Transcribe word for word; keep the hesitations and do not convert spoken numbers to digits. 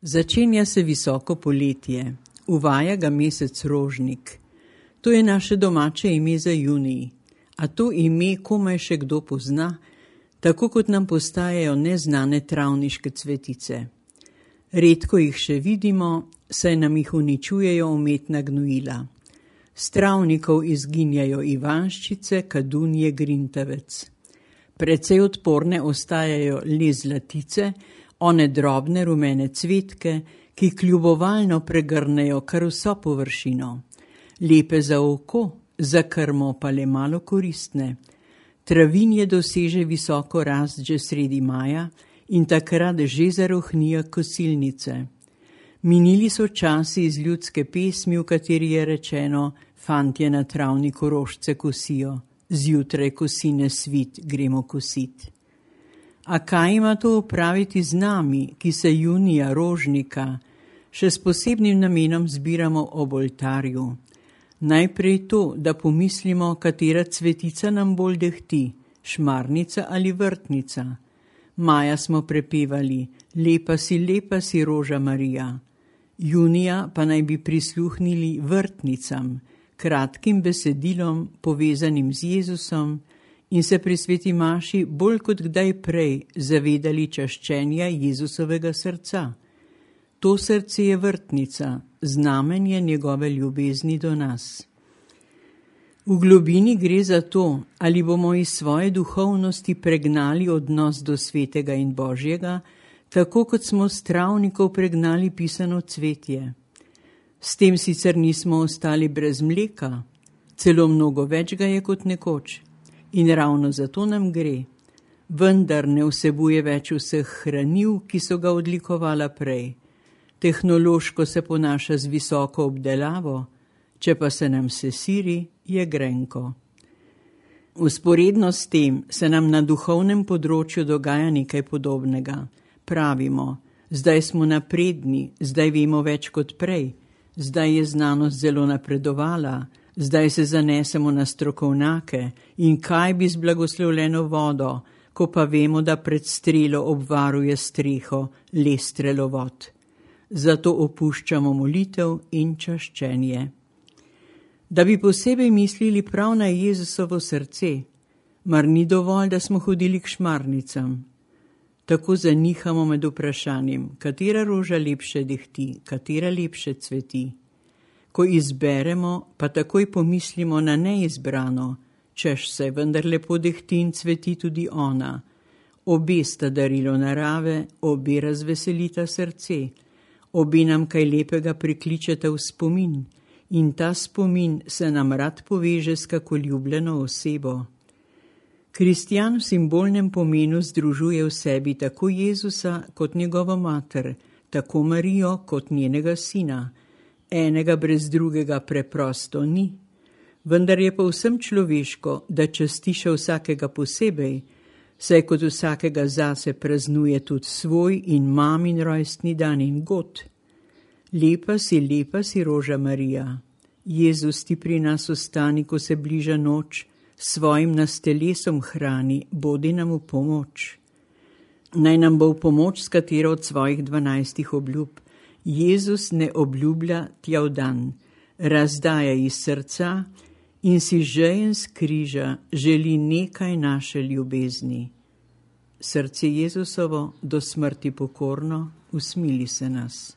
Začenja se visoko poletje, uvaja ga mesec rožnik. To je naše domače ime za junij, a to ime komaj še kdo pozna, tako kot nam postajajo neznane travniške cvetice. Redko jih še vidimo, saj nam jih uničujejo umetna gnojila. S travnikov izginjajo ivanščice, kadunje, grintavec. Precej odporne ostajajo le zlatice, one drobne rumene cvetke, ki kljubovalno pregrnejo kar vso površino. Lepe za oko, za krmo pa le malo koristne. Travinje doseže visoko rast že sredi maja in takrat že zarohnijo kosilnice. Minili so časi iz ljudske pesmi, v kateri je rečeno: fantje na travniku rožce kosijo, zjutraj kosine svit, gremo kosit. A kaj ima to opraviti z nami, ki se junija rožnika še s posebnim namenom zbiramo ob oltarju? Najprej to, da pomislimo, katera cvetica nam bolj dehti, šmarnica ali vrtnica. Maja smo prepevali: lepa si, lepa si, roža Marija. Junija pa naj bi prisluhnili vrtnicam, kratkim besedilom povezanim z Jezusom, in se pri sveti maši bolj kot kdaj prej zavedali čaščenja Jezusovega srca. To srce je vrtnica, znamenje njegove ljubezni do nas. V globini gre za to, ali bomo iz svoje duhovnosti pregnali odnos do svetega in Božjega, tako kot smo s travnikov pregnali pisano cvetje. S tem sicer nismo ostali brez mleka, celo mnogo več ga je kot nekoč. In ravno zato nam gre, vendar ne vsebuje več vseh hranil, ki so ga odlikovala prej. Tehnološko se ponaša z visoko obdelavo, če pa se nam sesiri, je grenko. Vzporedno s tem se nam na duhovnem področju dogaja nekaj podobnega. Pravimo: zdaj smo napredni, zdaj vemo več kot prej, zdaj je znanost zelo napredovala, zdaj se zanesemo na strokovnjake in kaj bi z blagoslovljeno vodo, ko pa vemo, da pred strelo obvaruje streho le strelovod. Zato opuščamo molitev in čaščenje. Da bi posebej mislili prav na Jezusovo srce, mar ni dovolj, da smo hodili k šmarnicam. Tako zanihamo med vprašanjem, katera roža lepše dehti, katera lepše cveti. Ko izberemo, pa takoj pomislimo na neizbrano, češ se vendar lepo dehti in cveti tudi ona. Obe sta darilo narave, obe razveselita srce, obe nam kaj lepega prikličeta v spomin in ta spomin se nam rad poveže s kako ljubljeno osebo. Kristjan v simbolnem pomenu združuje v sebi tako Jezusa kot njegovo mater, tako Marijo kot njenega sina. Enega brez drugega preprosto ni, vendar je povsem človeško, da častiša vsakega posebej, saj kot vsakega zase praznuje tudi svoj in mamin rojstni dan in god. Lepa si, lepa si, roža Marija. Jezus ti pri nas ostani, ko se bliža noč, svojim nas telesom hrani, bodi nam v pomoč. Naj nam bo v pomoč, s katero od svojih dvanajstih obljub Jezus ne obljublja tja v dan, razdaja iz srca in si žejen z križa želi nekaj naše ljubezni. Srce Jezusovo do smrti pokorno, usmili se nas.